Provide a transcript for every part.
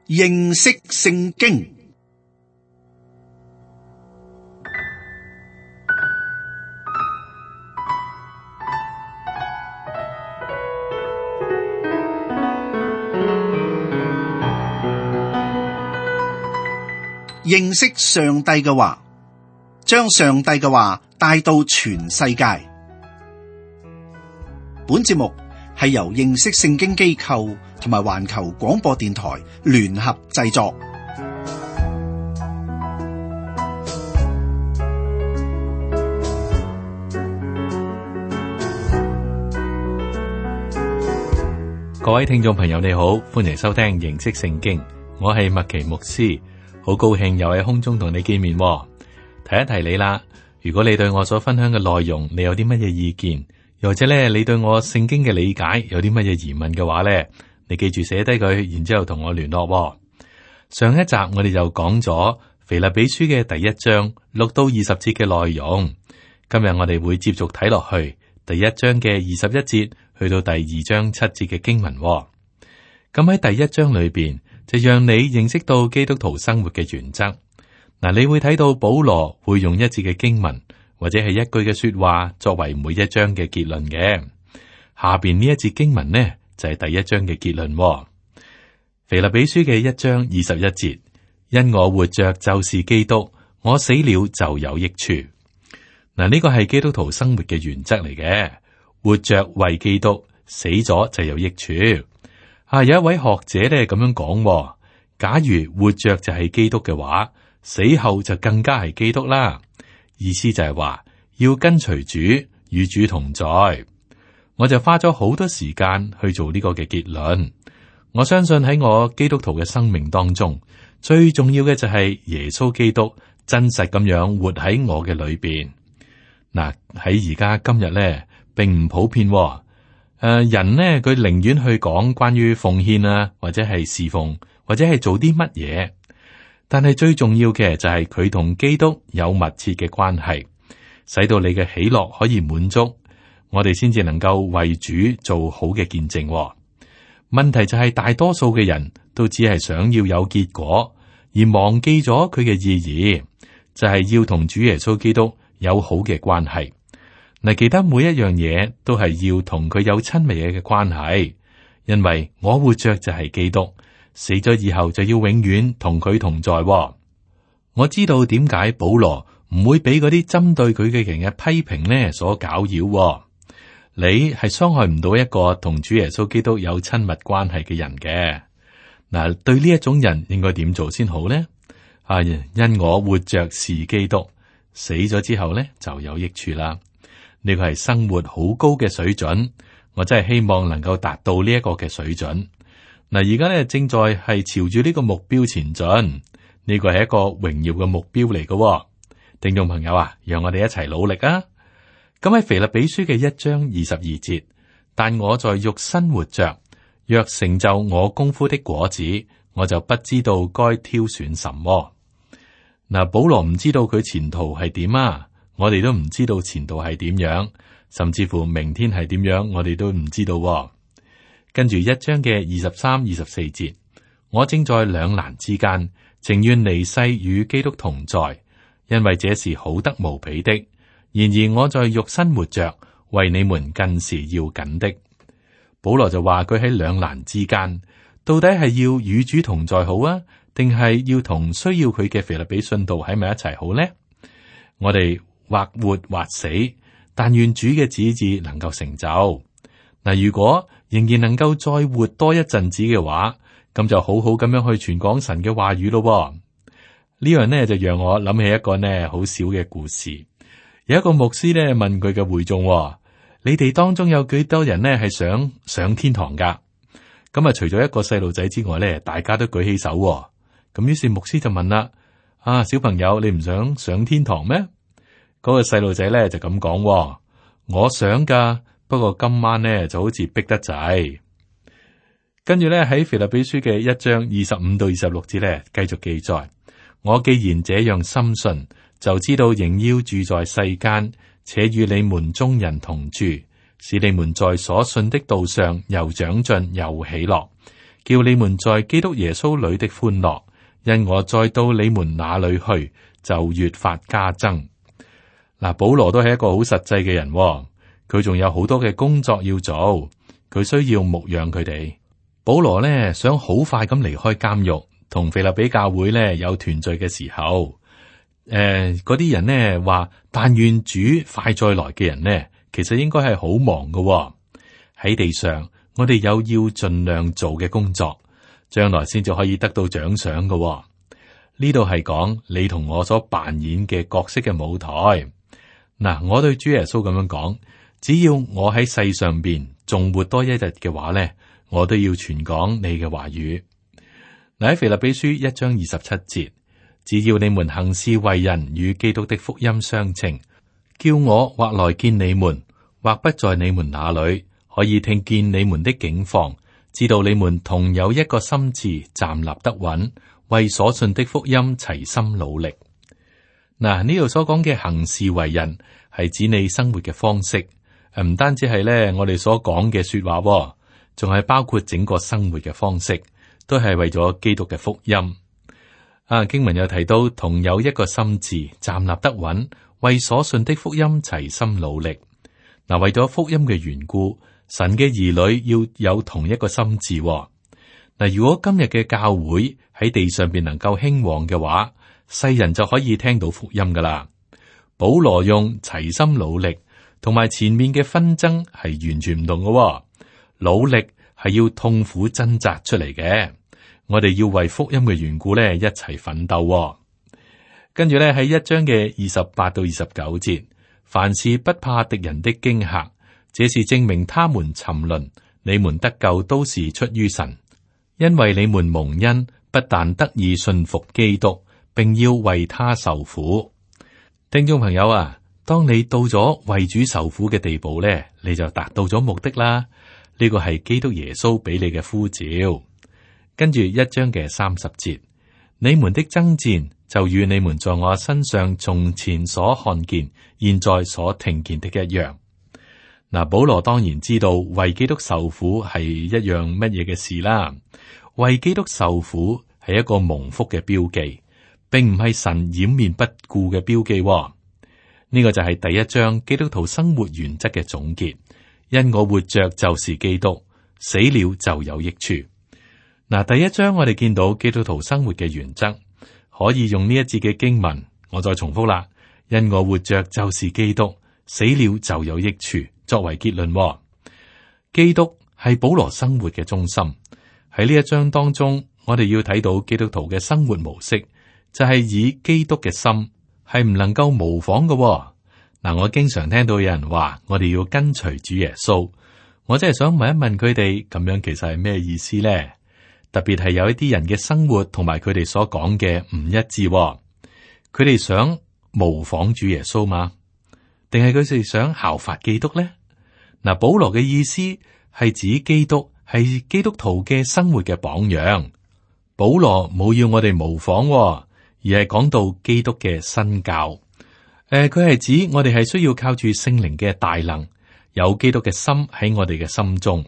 認識聖經。認識上帝嘅話，將上帝嘅話帶到全世界。本節目係由認識聖經機構同埋環球廣播電台聯合製作。各位聽眾朋友，你好，歡迎收聽認識聖經，我係麥奇牧師，好高興又喺空中同你見面。提一提你啦，如果你對我所分享嘅內容，你有啲乜嘢意見，又或者咧，你對我聖經嘅理解有啲乜嘢疑問嘅話咧，你記住寫低佢，然之後同我聯絡。上一集我哋就講咗腓立比書嘅第一章6到20節嘅內容，今日我哋會接續睇落去第一章嘅21節去到第二章7節嘅經文。咁喺第一章裏邊就讓你認識到基督徒生活嘅原則。嗱，你會睇到保羅會用一節嘅經文或者係一句嘅說話作為每一章嘅結論嘅。下邊呢一節經文呢就係第一章嘅結論。腓立比書嘅一章21節，因我活着就是基督，我死了就有益處。嗱，呢個係基督徒生活嘅原則嚟嘅，活着為基督，死咗就有益處。有一位學者咧咁樣講，假如活着就係基督嘅話，死後就更加係基督啦。意思就係話要跟隨主，與主同在。我就花咗好多時間去做呢個嘅結論。我相信喺我基督徒嘅生命當中，最重要嘅就係耶穌基督真實咁樣活喺我嘅裏邊。嗱，喺而家今日咧，並唔普遍。人呢，佢寧願去講關於奉獻啊，或者係侍奉，或者係做啲乜嘢。但係最重要嘅就係佢同基督有密切嘅關係，使到你嘅喜樂可以滿足，我哋先至能夠為主做好嘅見證。問題就係大多數嘅人都只係想要有結果，而忘記咗佢嘅意義，就係要同主耶穌基督有好嘅關係。嗱，其他每一樣嘢都係要同佢有親密嘅關係，因為我活着就係基督，死咗以後就要永遠同佢同在。我知道點解保羅唔會俾嗰啲針對佢嘅人嘅批評呢所攪擾。你係傷害唔到一個同主耶穌基督有親密關係嘅人嘅。嗱，對呢一種人應該點做先好呢？因我活着是基督，死咗之後呢就有益處啦。呢個係生活好高嘅水準，我真係希望能夠達到呢一個嘅水準。嗱，而家咧正在係朝住呢個目標前進，呢個係一個榮耀嘅目標嚟嘅。聽眾朋友啊，讓我哋一齊努力啊！咁喺腓立比書嘅一章22節，但我在肉身活着，若成就我功夫的果子，我就不知道該挑選什麼。嗱，保羅唔知道佢前途係點啊！我哋都唔知道前途係點樣，甚至乎明天係點樣，我哋都唔知道。跟住一章嘅23、24節，我正在兩難之間，情願離世與基督同在，因為這是好得無比的。然而我在肉身活着，為你們更是要緊的。保羅就話佢喺兩難之間，到底係要與主同在好啊，定係要同需要佢嘅腓立比信徒喺埋一齊好呢？我哋或活或死，但願主嘅旨意能夠成就。嗱，如果仍然能夠再活多一陣子嘅話，咁就好好咁樣去傳講神嘅話語咯。呢樣呢就讓我諗起一個呢好少嘅故事。有一個牧師呢問佢嘅會眾：你哋當中有幾多人呢係想上天堂噶？咁啊，除咗一個細路仔之外呢，大家都舉起手。咁於是牧師就問啦：小朋友，你唔想上天堂咩？嗰個細路仔咧就咁講：我想噶，不過今晚咧就好似逼得滯。跟住咧喺腓立比書嘅一章25到26節咧繼續記載：我既然這樣深信，就知道仍要住在世間，且與你們眾人同住，使你們在所信的道上又長進又喜樂，叫你們在基督耶穌裏的歡樂，因我再到你們那裏去，就越發加增。嗱，保羅都係一個好實際嘅人，佢仲有好多嘅工作要做，佢需要牧養佢哋。保羅呢，想好快咁離開監獄，同腓立比教會呢有團聚嘅時候，嗰啲人呢話，但願主快再來嘅人呢，其實應該係好忙㗎。喺地上，我哋有要盡量做嘅工作，將來先至可以得到獎賞㗎。呢度係講你同我所扮演嘅角色嘅舞台。嗱，我對主耶穌咁樣講，只要我喺世上邊仲活多一日嘅話呢，我都要傳講你嘅話語。嗱，喺腓立比書1章27節，只要你們行事為人與基督的福音相稱，叫我或來見你們，或不在你們那裏，可以聽見你們的境況，知道你們同有一個心志，站立得穩，為所信的福音齊心努力。嗱，呢度所講嘅行事為人係指你生活嘅方式，唔單止係咧我哋所講嘅說話，仲係包括整個生活嘅方式，都係為咗基督嘅福音。經文又提到同有一個心志，站立得穩，為所信的福音齊心努力。嗱，為咗福音嘅緣故，神嘅兒女要有同一個心志。嗱，如果今日嘅教會喺地上邊能夠興旺嘅話，世人就可以聽到福音噶啦。保羅用齊心努力，同埋前面嘅紛爭係完全唔同嘅。努力係要痛苦掙扎出嚟嘅，我哋要為福音嘅緣故咧一齊奮鬥。跟住咧喺1章嘅28到29節，凡事不怕敵人的驚嚇，這是證明他們沉淪，你們得救都是出於神，因為你們蒙恩，不但得以信服基督，並要為他受苦。聽眾朋友啊，當你到咗為主受苦嘅地步咧，你就達到咗目的啦。呢個係基督耶穌俾你嘅呼召。跟住1章嘅30節，你們的爭戰就與你們在我身上從前所看見、現在所聽見的一樣。嗱，保羅當然知道為基督受苦係一樣乜嘢嘅事啦。為基督受苦係一個蒙福嘅標記，並唔係神掩面不顧嘅標記。呢個就係第1章基督徒生活原則嘅總結。因我活着就是基督，死了就有益處。嗱，第1章我哋見到基督徒生活嘅原則，可以用呢一節嘅經文，我再重複啦。因我活着就是基督，死了就有益處，作為結論。基督係保羅生活嘅中心。喺呢1章當中，我哋要睇到基督徒嘅生活模式，就係以基督嘅心，係唔能夠模仿嘅。嗱，我經常聽到有人話我哋要跟隨主耶穌，我真係想問一問佢哋，咁樣其實係咩意思咧？特別係有一啲人嘅生活同埋佢哋所講嘅唔一致，佢哋想模仿主耶穌嘛？定係佢哋想效法基督咧？嗱，保羅嘅意思係指基督係基督徒嘅生活嘅榜樣。保羅冇要我哋模仿，而係講到基督嘅身教。佢係指我哋係需要靠住聖靈嘅大能，有基督嘅心喺我哋嘅心中。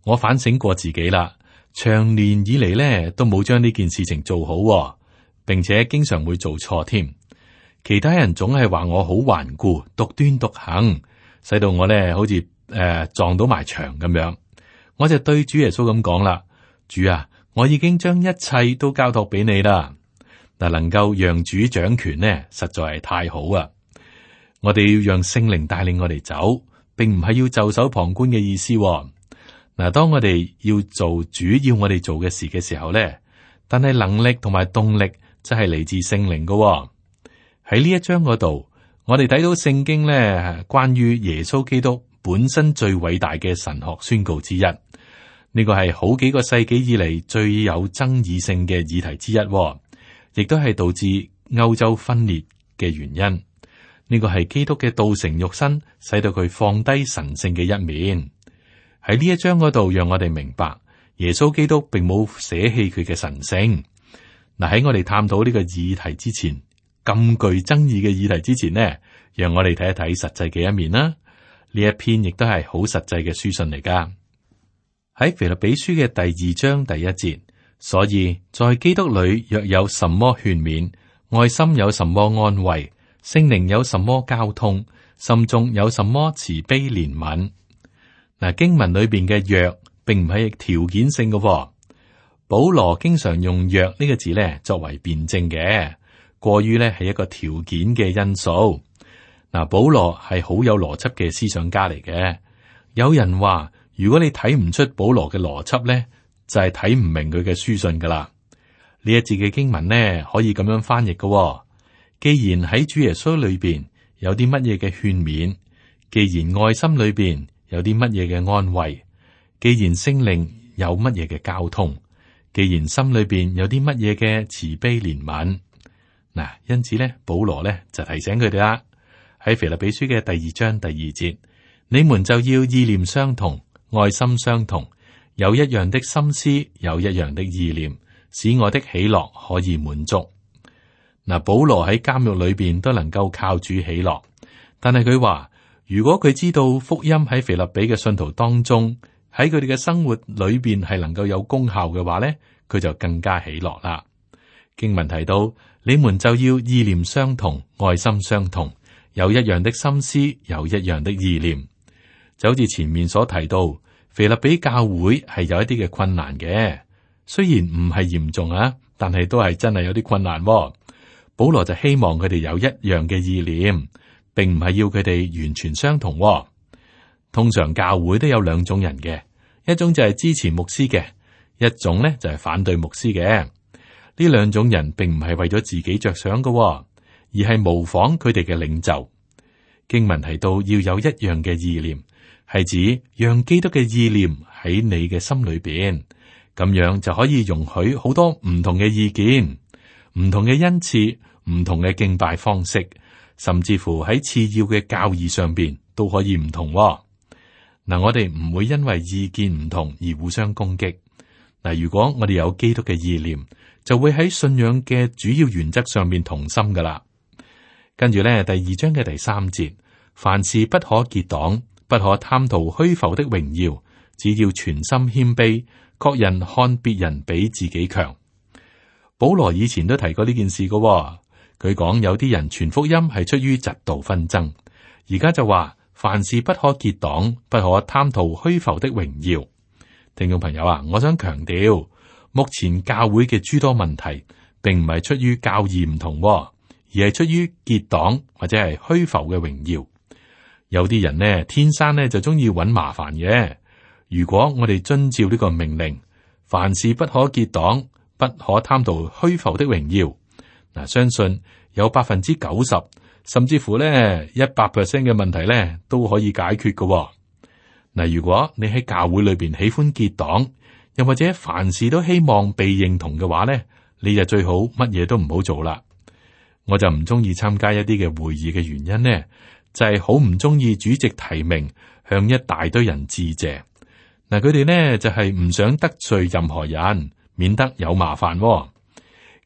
我反省過自己啦，長年以嚟咧都冇將呢件事情做好，並且經常會做錯添。其他人總係話我好頑固、獨斷獨行，使到我咧好似撞到埋牆咁樣。我就對主耶穌咁講啦：主啊，我已經將一切都交託俾你啦。嗱，能夠讓主掌權呢，實在係太好啊！我哋要讓聖靈帶領我哋走，並唔係要袖手旁觀嘅意思。嗱，當我哋要做主要我哋做嘅事嘅時候咧，但係能力同埋動力就係嚟自聖靈嘅。喺呢1章嗰度，我哋睇到聖經咧關於耶穌基督本身最偉大嘅神學宣告之一。呢個係好幾個世紀以嚟最有爭議性嘅議題之一。亦都係導致歐洲分裂嘅原因。呢個係基督嘅道成肉身，使到佢放低神聖嘅一面。喺呢1章嗰度，讓我哋明白耶穌基督並冇捨棄佢嘅神聖。嗱，喺我哋探討呢個議題之前，咁具爭議嘅議題之前呢，讓我哋睇一睇實際嘅一面啦。呢一篇亦都係好實際嘅書信嚟噶。喺腓立比書嘅第2章第1節，所以在基督裏若有什麼勸勉，愛心有什麼安慰，聖靈有什麼交通，心中有什麼慈悲憐憫。嗱，經文裏邊嘅若並唔係條件性嘅。保羅經常用若呢個字咧作為辯證嘅，過於咧係一個條件嘅因素。嗱，保羅係好有邏輯嘅思想家嚟嘅。有人話，如果你睇唔出保羅嘅邏輯咧，就係睇唔明佢嘅書信噶啦。呢一節嘅經文呢，可以咁樣翻譯嘅。既然喺主耶穌裏邊有啲乜嘢嘅勸勉，既然愛心裏邊有啲乜嘢嘅安慰，既然聖靈有乜嘢嘅交通，既然心裏邊有啲乜嘢嘅慈悲憐憫，嗱，因此咧，保羅咧就提醒佢哋啦，喺腓立比書嘅第2章第2節，你們就要意念相同，愛心相同，有一樣的心思，有一樣的意念，使我的喜樂可以滿足。嗱，保羅喺監獄裏邊都能夠靠主喜樂，但係佢話，如果佢知道福音喺腓立比嘅信徒當中，喺佢哋嘅生活裏邊係能夠有功效嘅話咧，佢就更加喜樂啦。經文提到，你們就要意念相同，愛心相同，有一樣的心思，有一樣的意念。就好似前面所提到，腓立比教會係有一啲嘅困難嘅，雖然唔係嚴重啊，但係都係真係有啲困難。保羅就希望佢哋有一樣嘅意念，並唔係要佢哋完全相同。通常教會都有兩種人嘅，一種就係支持牧師嘅，一種咧就係反對牧師嘅。呢兩種人並唔係為咗自己着想嘅，而係模仿佢哋嘅領袖。經文提到要有一樣嘅意念，係指讓基督嘅意念喺你嘅心裏邊，咁樣就可以容許好多唔同嘅意見、唔同嘅恩賜、唔同嘅敬拜方式，甚至乎喺次要嘅教義上邊都可以唔同。嗱，我哋唔會因為意見唔同而互相攻擊。嗱，如果我哋有基督嘅意念，就會喺信仰嘅主要原則上面同心噶啦。跟住咧，第2章嘅第3節，凡事不可結黨，不可貪圖虛浮的榮耀，只要全心謙卑，各人看別人比自己強。保羅以前都提過呢件事噶，佢講有啲人傳福音係出於嫉妒紛爭，而家就話凡事不可結黨，不可貪圖虛浮的榮耀。聽眾朋友啊，我想強調，目前教會嘅諸多問題，並唔係出於教義唔同，而係出於結黨或者係虛浮嘅榮耀。有啲人呢，天生呢就中意揾麻煩嘅。如果我哋遵照呢個命令，凡事不可結黨，不可貪圖虛浮的榮耀，嗱，相信有90%甚至乎咧100% 嘅問題咧都可以解決嘅。嗱，如果你喺教會裏邊喜歡結黨，又或者凡事都希望被認同嘅話咧，你就最好乜嘢都唔好做啦。我就唔中意參加一啲嘅會議嘅原因呢，就係好唔中意主席提名向一大堆人致謝。嗱，佢哋呢就係唔想得罪任何人，免得有麻煩。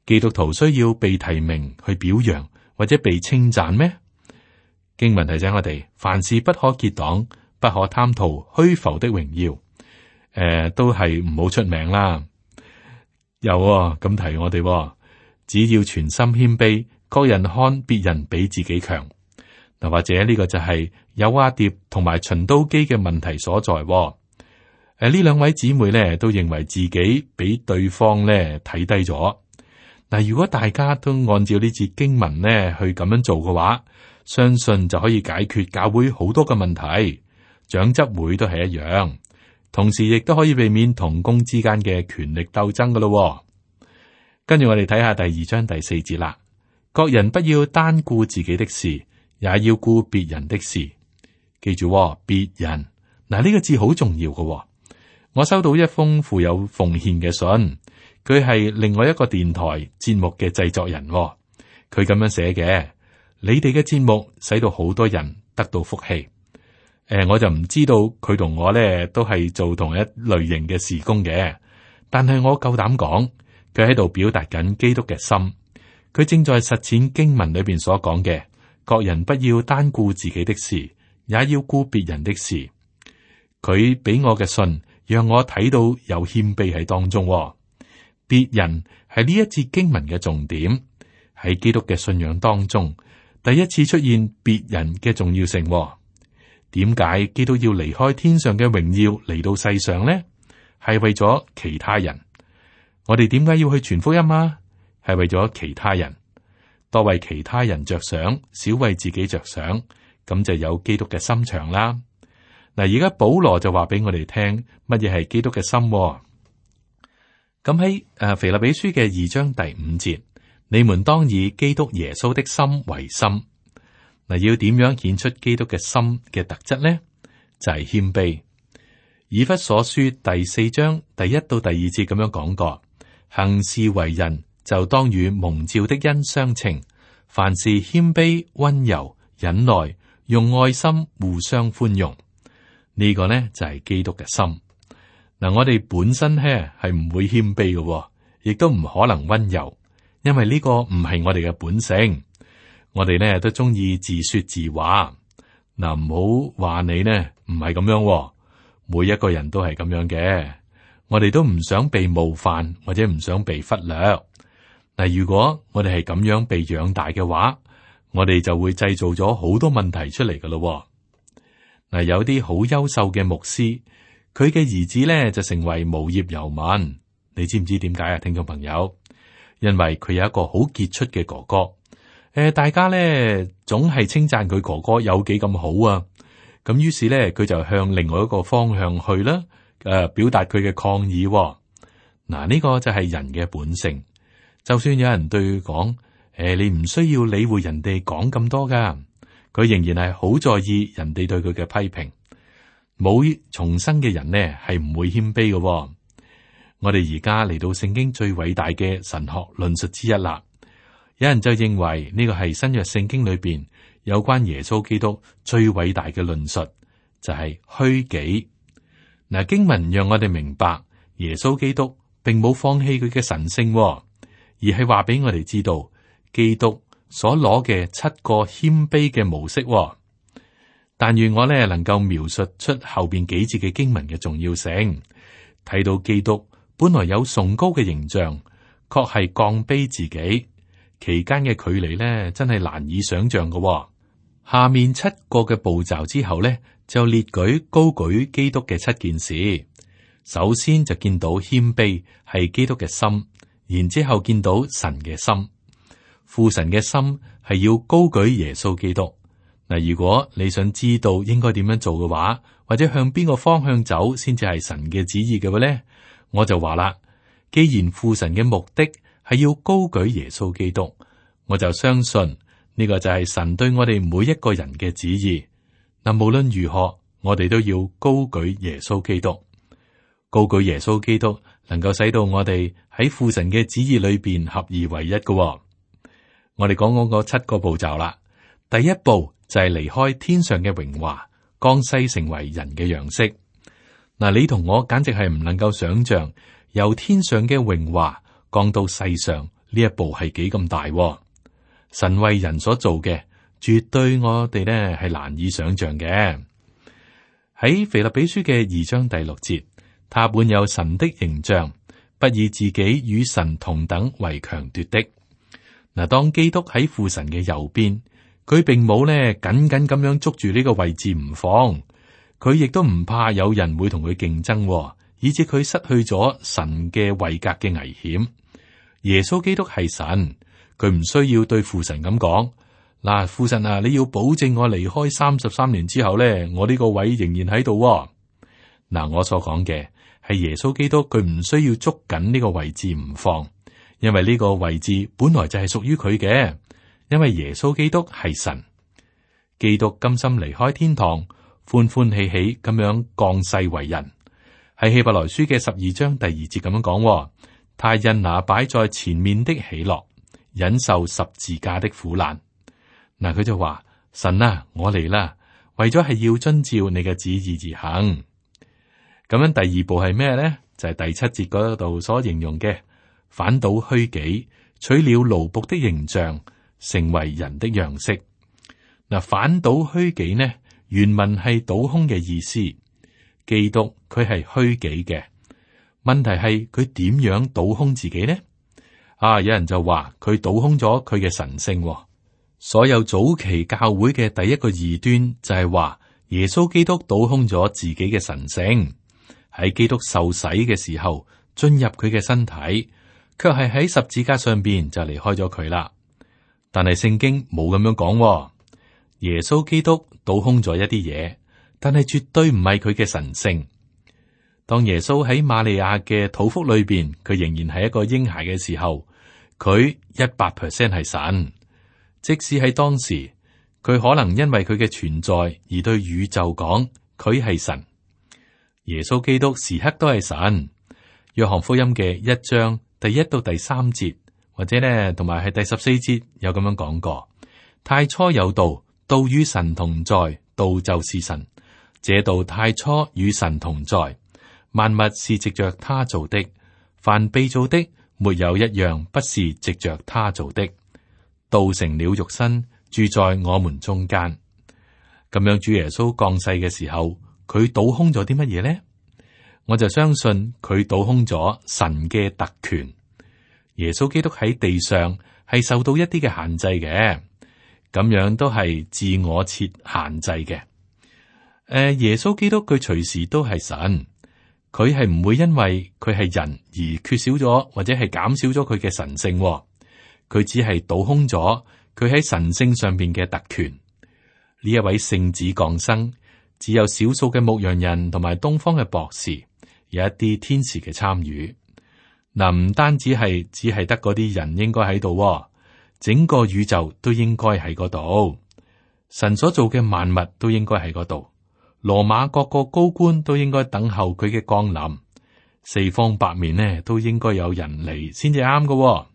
基督徒需要被提名去表揚或者被稱讚咩？經文提醒我哋，凡事不可結黨，不可貪圖虛浮的榮耀。都係唔好出名啦。有咁提我哋，只要全心謙卑，各人看別人比自己強。嗱，或者呢個就係友阿蝶同埋循都基嘅問題所在。呢兩位姊妹咧都認為自己比對方咧睇低咗。嗱，如果大家都按照呢節經文咧去咁樣做嘅話，相信就可以解決教會好多嘅問題。長執會都係一樣，同時亦都可以避免同工之間嘅權力鬥爭噶咯。跟住我哋睇下第2章第4節啦。各人不要單顧自己的事，也要顧別人的事。記住，別人嗱，呢個字好重要噶。我收到一封富有奉獻嘅信，佢係另外一個電台節目嘅製作人。佢咁樣寫嘅：你哋嘅節目使到好多人得到福氣。我就唔知道佢同我咧都係做同一類型嘅事工嘅，但係我夠膽講，佢喺度表達緊基督嘅心。佢正在實踐經文裏邊所講嘅，各人不要單顧自己的事，也要顧別人的事。佢俾我嘅信讓我睇到有謙卑喺當中。別人係呢一節經文嘅重點，喺基督嘅信仰當中，第一次出現別人嘅重要性。點解基督要離開天上嘅榮耀嚟到世上呢？係為咗其他人。我哋點解要去傳福音啊？係為咗其他人，多為其他人着想，少為自己着想，咁就有基督嘅心腸啦。嗱，而家保羅就話俾我哋聽，乜嘢係基督嘅心？咁喺腓立比書嘅2章第5節，你們當以基督耶穌的心為心。嗱，要點樣顯出基督嘅心嘅特質呢？就係謙卑。以弗所書第4章第1到第2節咁樣講過，行事為人就當與蒙召的恩相稱，凡事謙卑、溫柔、忍耐，用愛心互相寬容。呢個呢就係基督嘅心。嗱，我哋本身咧係唔會謙卑嘅，亦都唔可能溫柔，因為呢個唔係我哋嘅本性。我哋呢都中意自說自話。嗱，唔好話你呢唔係咁樣，每一個人都係咁樣嘅。我哋都唔想被冒犯，或者唔想被忽略。嗱，如果我哋係咁樣被養大嘅話，我哋就會製造咗好多問題出嚟噶咯。嗱，有啲好優秀嘅牧師，佢嘅兒子咧就成為無業遊民。你知唔知點解啊？聽眾朋友，因為佢有一個好傑出嘅哥哥。大家咧總係稱讚佢哥哥有幾咁好啊。咁於是咧，佢就向另外一個方向去啦。表達佢嘅抗議。嗱，呢個就係人嘅本性。就算有人對佢講，你唔需要理會人哋講咁多噶，佢仍然係好在意人哋對佢嘅批評。冇重生嘅人呢，係唔會謙卑嘅。我哋而家嚟到聖經最偉大嘅神學論述之一啦。有人就認為呢個係新約聖經裏邊有關耶穌基督最偉大嘅論述，就係虛己。嗱，經文讓我哋明白耶穌基督並冇放棄佢嘅神性，而係話俾我哋知道基督所攞嘅7個謙卑嘅模式。但願我呢能夠描述出後邊幾節嘅經文嘅重要性，睇到基督本來有崇高嘅形象，確係降卑自己，期間嘅距離呢真係難以想象嘅。下面7個嘅步驟之後呢，就列舉高舉基督嘅7件事。首先就見到謙卑係基督嘅心，然之後見到神嘅心，父神嘅心係要高舉耶穌基督。嗱，如果你想知道應該點樣做嘅話，或者向邊個方向走先至係神嘅旨意嘅話咧，我就話啦，既然父神嘅目的係要高舉耶穌基督，我就相信呢個就係神對我哋每一個人嘅旨意。嗱，無論如何，我哋都要高舉耶穌基督。高舉耶穌基督能夠使到我哋喺父神嘅旨意裏邊合而為一嘅。我哋講嗰7個步驟啦。第一步就係離開天上嘅榮華，降世成為人嘅樣式。嗱，你同我簡直係唔能夠想象由天上嘅榮華降到世上呢一步係幾咁大。神為人所做嘅，絕對我哋呢係難以想象嘅。喺腓立比書嘅2章第6節，他本有神的形象，不以自己與神同等為強奪的。嗱，當基督喺父神嘅右邊，佢並冇呢緊緊咁樣捉住呢個位置唔放，佢亦都唔怕有人會同佢競爭，以致佢失去咗神嘅位格嘅危險。耶穌基督係神，佢唔需要對父神咁講，嗱，父神啊，你要保證我離開33年之後呢，我呢個位仍然喺度。嗱，我所講嘅係耶穌基督，佢唔需要捉緊呢個位置唔放，因為呢個位置本來就係屬於佢嘅。因為耶穌基督係神，基督甘心離開天堂，歡歡喜喜咁樣降世為人。喺希伯來書嘅12章第2節咁樣講，他因那擺在前面的喜樂，忍受十字架的苦難。嗱，佢就話：神啊，我嚟啦，為咗係要遵照你嘅旨意而行。咁樣第二步係咩咧？就係第7節嗰度所形容嘅，反倒虛己，取了奴僕的形象，成為人的樣式。嗱，反倒虛己呢，原文係倒空嘅意思。基督佢係虛己嘅。問題係佢點樣倒空自己呢？有人就話佢倒空咗佢嘅神性。所有早期教會嘅第一個異端就係話耶穌基督倒空咗自己嘅神性，喺基督受洗嘅時候進入佢嘅身體，卻係喺十字架上邊就離開咗佢啦。但係聖經冇咁樣講，耶穌基督倒空咗一啲嘢，但係絕對唔係佢嘅神性。當耶穌喺瑪利亞嘅肚腹裏邊，佢仍然係一個嬰孩嘅時候，佢100%係神。即使喺當時，佢可能因為佢嘅存在而對宇宙講佢係神。耶穌基督時刻都係神。約翰福音嘅1章第1到第3節，或者呢，同埋係第14節有咁樣講過：太初有道，道與神同在，道就是神。這道太初與神同在，萬物是藉着他造的，凡被造的，沒有一樣不是藉着他造的。道成了肉身，住在我們中間。咁樣主耶穌降世嘅時候，佢倒空咗啲乜嘢呢？我就相信佢倒空咗神嘅特權。耶穌基督喺地上係受到一啲嘅限制嘅，咁樣都係自我設限制嘅。耶穌基督佢隨時都係神，佢係唔會因為佢係人而缺少咗或者係減少咗佢嘅神性。佢只係倒空咗佢喺神性上邊嘅特權。呢一位聖子降生，只有少數嘅牧羊人同埋東方嘅博士，有一啲天使嘅參與。嗱，唔單止係只係得嗰啲人應該喺度，整個宇宙都應該喺嗰度。神所做嘅萬物都應該喺嗰度。羅馬各個高官都應該等候佢嘅降臨。四方八面呢都應該有人嚟先至啱嘅。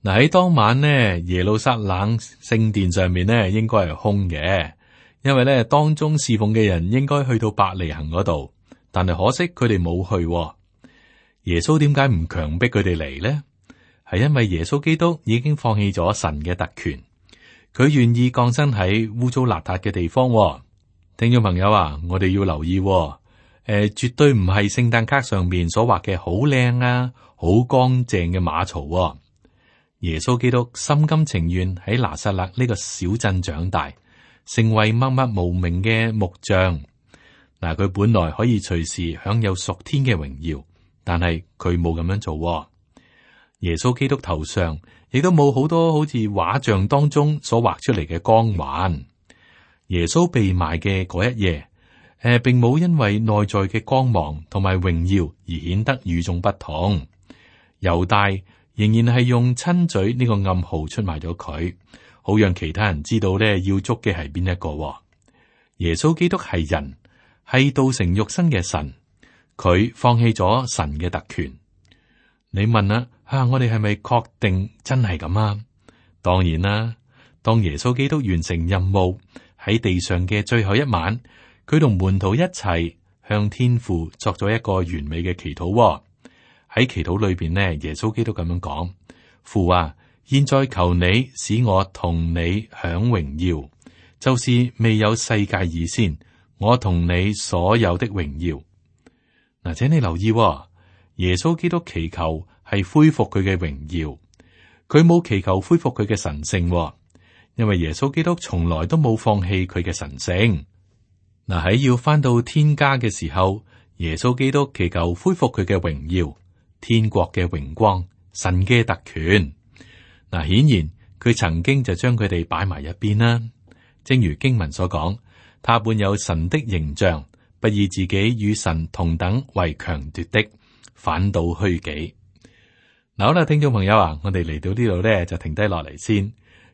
嗱，喺當晚呢，耶路撒冷聖殿上面呢應該係空嘅，因為呢當中侍奉嘅人應該去到伯利恆嗰度，但係可惜佢哋冇去。耶穌點解唔強迫佢哋嚟呢？係因為耶穌基督已經放棄咗神嘅特權，佢願意降生喺污糟邋遢嘅地方。聽眾朋友啊，我哋要留意，絕對唔係聖誕卡上面所畫嘅好靚啊、好乾淨嘅馬槽。耶穌基督心甘情願喺拿撒勒呢個小鎮長大，成為默默無名嘅木匠。嗱，佢本來可以隨時享有屬天嘅榮耀，但係佢冇咁樣做。耶穌基督頭上亦都冇好多好似畫像當中所畫出嚟嘅光環。耶穌被賣嘅嗰一夜，並冇因為內在嘅光芒同埋榮耀而顯得與眾不同。猶大仍然係用親嘴呢個暗號出賣咗佢，好讓其他人知道咧要捉嘅係邊一個。耶穌基督係人，係道成肉身嘅神，佢放棄咗神嘅特權。你問啦，我哋係咪確定真係咁啊？當然啦，當耶穌基督完成任務喺地上嘅最後一晚，佢同門徒一齊向天父作咗一個完美嘅祈禱。喺祈禱裏邊呢，耶穌基督咁樣講：父啊，現在求你使我同你享榮耀，就是未有世界以先，我同你所有的榮耀。嗱，請你留意，耶穌基督祈求係恢復佢嘅榮耀，佢冇祈求恢復佢嘅神性，因為耶穌基督從來都冇放棄佢嘅神性。嗱，喺要翻到天家嘅時候，耶穌基督祈求恢復佢嘅榮耀。天國嘅榮光，神嘅特權。嗱，顯然佢曾經就將佢哋擺埋一邊啦。正如經文所講，他本有神的形象，不以自己與神同等為強奪的，反倒虛己。嗱，好啦，聽眾朋友啊，我哋嚟到呢度咧就停低落嚟先。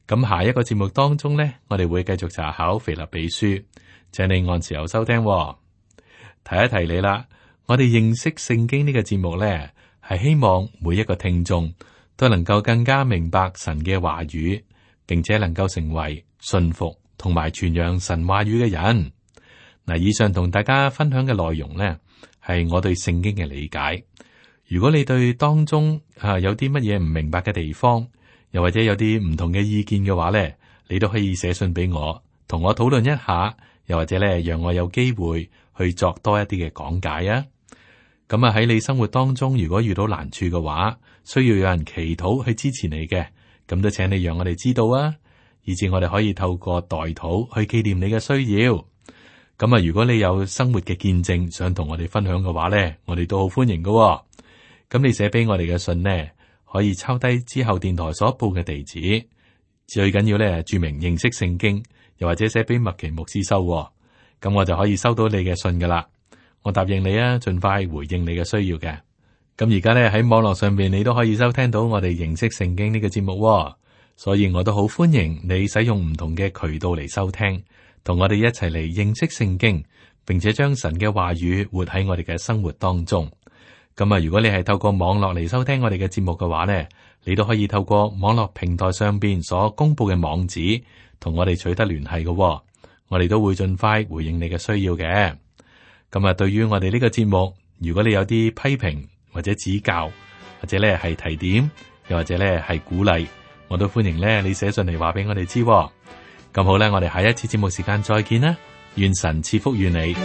咁下一個節目當中咧，我哋會繼續查考腓立比書，請你按時候收聽。提一提你啦，我哋認識聖經呢個節目咧，係希望每一個聽眾都能夠更加明白神嘅話語，並且能夠成為信服同埋傳揚神話語嘅人。嗱，以上同大家分享嘅內容呢，係我對聖經嘅理解。如果你對當中有啲乜嘢唔明白嘅地方，又或者有啲唔同嘅意見嘅話呢，你都可以寫信俾我，同我討論一下，又或者咧，讓我有機會去作多一啲嘅講解啊。咁啊喺你生活當中，如果遇到難處嘅話，需要有人祈禱去支持你嘅，咁都請你讓我哋知道啊，以至我哋可以透過代禱去紀念你嘅需要。咁啊，如果你有生活嘅見證想同我哋分享嘅話咧，我哋都好歡迎㗎。咁你寫俾我哋嘅信呢，可以抄低之後電台所報嘅地址，最緊要咧注明認識聖經，又或者寫俾麥奇牧師收，咁我就可以收到你嘅信噶啦。我答應你啊，盡快回應你嘅需要嘅。咁而家咧喺網絡上邊，你都可以收聽到我哋認識聖經呢個節目，所以我都好歡迎你使用唔同嘅渠道嚟收聽，同我哋一齊嚟認識聖經，並且將神嘅話語活喺我哋嘅生活當中。咁啊，如果你係透過網絡嚟收聽我哋嘅節目嘅話呢，你都可以透過網絡平台上邊所公布嘅網址，同我哋取得聯繫嘅。我哋都會盡快回應你嘅需要嘅。咁啊，對於我哋呢個節目，如果你有啲批評或者指教，或者咧係提點，又或者咧係鼓勵，我都歡迎咧你寫信嚟話俾我哋知。咁好咧，我哋下一次節目時間再見啦，願神賜福於你。